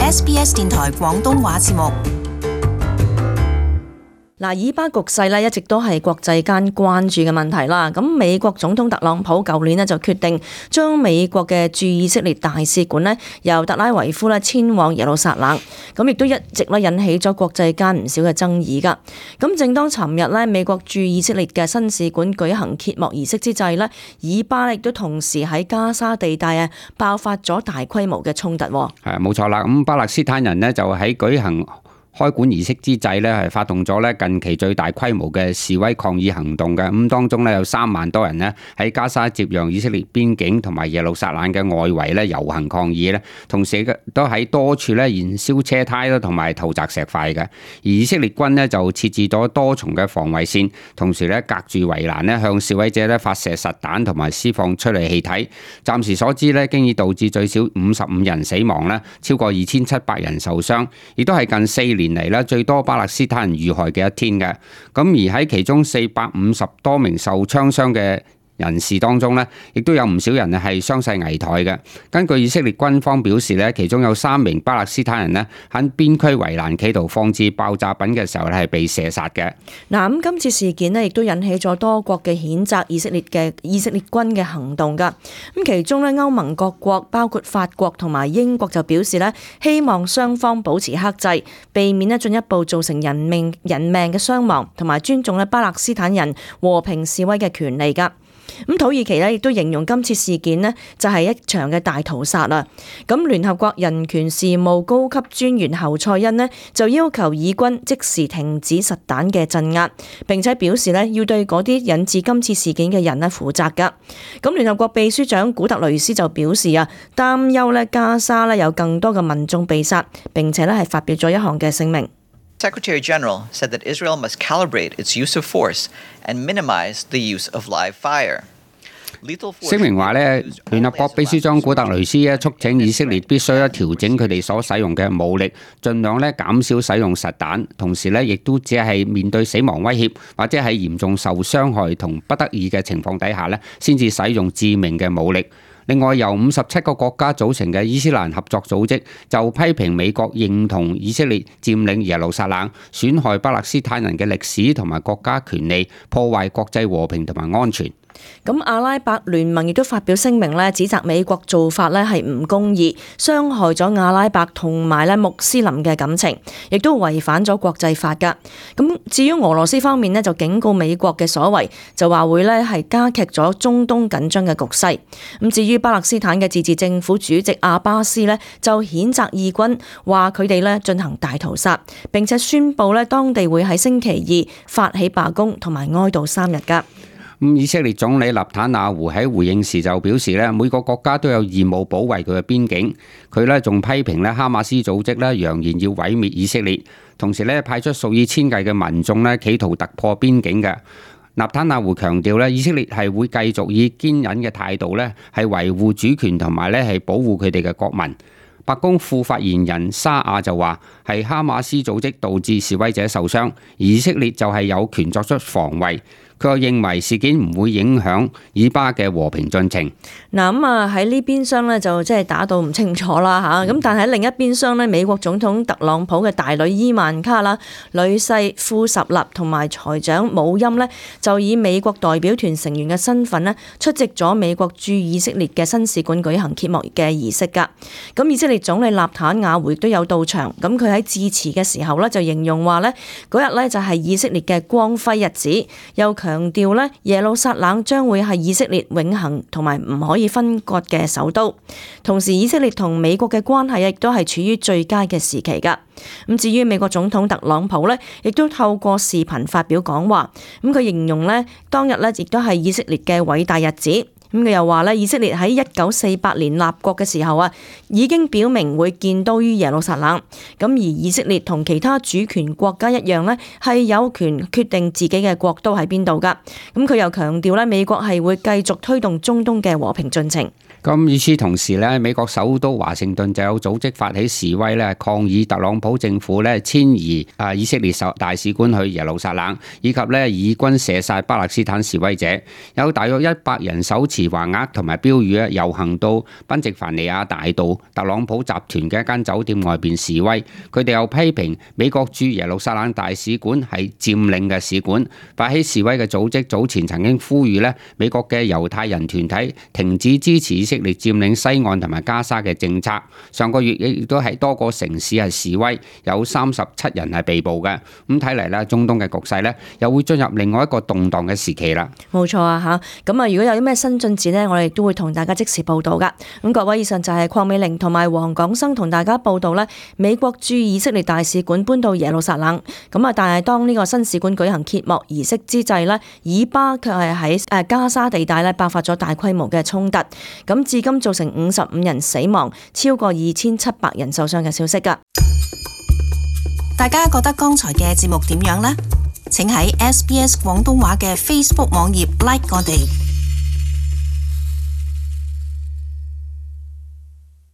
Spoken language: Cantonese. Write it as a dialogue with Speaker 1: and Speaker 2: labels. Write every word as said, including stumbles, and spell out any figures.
Speaker 1: S B S 電台廣東話節目。
Speaker 2: 嗱，以巴局勢咧一直都係國際間關注嘅問題啦。咁美國總統特朗普舊年咧就決定將美國嘅駐以色列大使館咧由特拉維夫咧遷往耶路撒冷，咁亦都一直咧引起咗國際間唔少嘅爭議噶。咁正當尋日咧美國駐以色列嘅新使館舉行揭幕儀式之際咧，以巴亦都同時喺加沙地帶啊爆發咗大規模嘅衝突。
Speaker 3: 係冇錯啦，咁巴勒斯坦人呢就喺舉行開館儀式之際咧，係發動咗咧近期最大規模嘅示威抗議行動嘅。咁當中咧有三萬多人咧喺加沙接壤以色列邊境同埋耶路撒冷嘅外圍咧遊行抗議咧，同時都喺多處咧燃燒車胎啦，同埋投擲石塊嘅。而以色列軍咧就設置咗多重嘅防衛線，同時咧隔住圍欄咧向示威者咧發射實彈同埋施放催淚氣體。暫時所知咧，經已導致最少五十五人死亡啦，超過二千七百人受傷，亦都係近四年嚟咧最多巴勒斯坦人遇害嘅一天嘅。咁而喺其中四百五十多名受槍傷嘅人士當中呢，亦都有唔少人係傷勢危殆嘅。根據以色列軍方表示呢，其中有三名巴勒斯坦人呢喺邊區圍欄企圖放置爆炸品嘅時候咧係被射殺嘅。
Speaker 2: 嗱，咁今次事件呢亦都引起咗多國嘅譴責以色列嘅以色列軍嘅行動噶。咁其中呢，歐盟各國包括法國同埋英國就表示呢，希望雙方保持克制，避免呢進一步造成人命人命嘅傷亡，同埋尊重呢巴勒斯坦人和平示威嘅權利噶。咁土耳其咧亦都形容今次事件呢就係一場嘅大屠殺啦。咁聯合國人權事務高級專員侯賽因呢就要求以軍即時停止實彈嘅鎮壓，並且表示呢要對嗰啲引致今次事件嘅人呢負責噶。咁聯合國秘書長古特雷斯就表示啊，擔憂呢加沙呢有更多嘅民眾被殺，並且呢係發表咗一項嘅聲明。
Speaker 4: Secretary General said that Israel must calibrate its use of force and minimize the use of live fire.
Speaker 3: 聲明話咧，聯合國秘書長古特雷斯咧促請以色列必須咧調整佢哋所使用嘅武力，盡量咧減少使用實彈，同時咧亦都只係面對死亡威脅或者係嚴重受傷害同不得已嘅情況底下咧，先至使用致命嘅武力。另外，由五十七個國家組成嘅伊斯蘭合作組織就批評美國認同以色列佔領耶路撒冷，損害巴勒斯坦人嘅歷史同埋國家權利，破壞國際和平同埋安全。
Speaker 2: 咁阿拉伯聯盟亦都發表聲明咧，指責美國做法咧係唔公義，傷害咗阿拉伯同埋咧穆斯林嘅感情，亦都違反咗國際法噶。咁至於俄羅斯方面咧，就警告美國嘅所為，就話會咧係加劇咗中東緊張嘅局勢。咁至於巴勒斯坦嘅自治政府主席阿巴斯咧，就譴責以軍，話佢哋咧進行大屠殺，並且宣布咧當地會喺星期二發起罷工同埋哀悼三日噶。
Speaker 3: 咁以色列總理納坦雅胡喺回應時就表示咧，每個國家都有義務保衛佢嘅邊境。佢咧仲批評咧哈馬斯組織咧揚言要毀滅以色列，同時咧派出數以千計嘅民眾咧企圖突破邊境嘅。納坦雅胡強調咧，以色列係會繼續以堅忍嘅態度咧係維護主權同埋咧係保護佢哋嘅國民。白宮副發言人沙亞就話係哈馬斯組織導致示威者受傷，而以色列就係有權作出防衛。佢又認為事件唔會影響以巴嘅和平進程。
Speaker 2: 嗱咁啊喺呢邊廂咧就即係打到唔清楚啦嚇，咁但係喺另一邊廂咧，美國總統特朗普嘅大女伊萬卡啦、女婿庫什納同埋財長姆欽咧，就以美國代表團成員嘅身份咧出席咗美國駐以色列嘅新使館舉行揭幕嘅儀式㗎。咁以色列總理納坦雅胡亦都有到場，咁佢喺致辭嘅時候咧就形容話咧嗰日咧就係以色列嘅光輝日子，又強強調咧耶路撒冷將會係以色列永恆同埋唔可以分割嘅首都。同時以色列同美國嘅關係亦都係處於最佳嘅時期噶。咁至於美國總統特朗普咧，亦都透過視頻發表講話，咁佢形容咧當日咧亦都係以色列嘅偉大日子。咁佢又話咧，以色列喺一九四八年立國嘅時候啊，已經表明會建都於耶路撒冷。咁而以色列同其他主權國家一樣咧，係有權決定自己嘅國都喺邊度噶。咁佢又強調咧，美國係會繼續推動中東嘅和平進程。
Speaker 3: 咁與此同時咧，美國首都華盛頓就有組織發起示威咧，抗議特朗普政府咧遷移啊以色列大使館去耶路撒冷，以及咧以軍射殺巴勒斯坦示威者。有大約一百人手持橫額同埋標語咧，遊行到賓夕凡尼亞大道特朗普集團嘅一間酒店外邊示威。佢哋又批評美國駐耶路撒冷大使館係佔領嘅使館。發起示威嘅組織早前曾經呼籲咧，美國嘅猶太人團體停止支持以色列佔領西岸同埋加沙嘅政策。上個月亦都喺多個城市係示威，有三十七人係被捕嘅。咁睇嚟咧，中東嘅局勢咧又會進入另外一個動盪嘅時期啦。
Speaker 2: 冇錯啊嚇！咁啊，如果有啲咩新進展呢，我哋都會同大家即時報道噶。咁各位，以上就係鄺美玲同埋黃廣生同大家報道咧，美國駐以色列大使館搬到耶路撒冷。咁啊，但係當呢個新使館舉行揭幕儀式之際呢，以巴卻係喺誒加沙地帶咧爆發咗大規模嘅衝突。咁至今造成五十五人死亡，超過二千七百人受傷嘅消息噶。
Speaker 1: 大家覺得剛才嘅節目點樣呢？請喺 S B S 廣東話嘅 Facebook 網頁 like 我哋。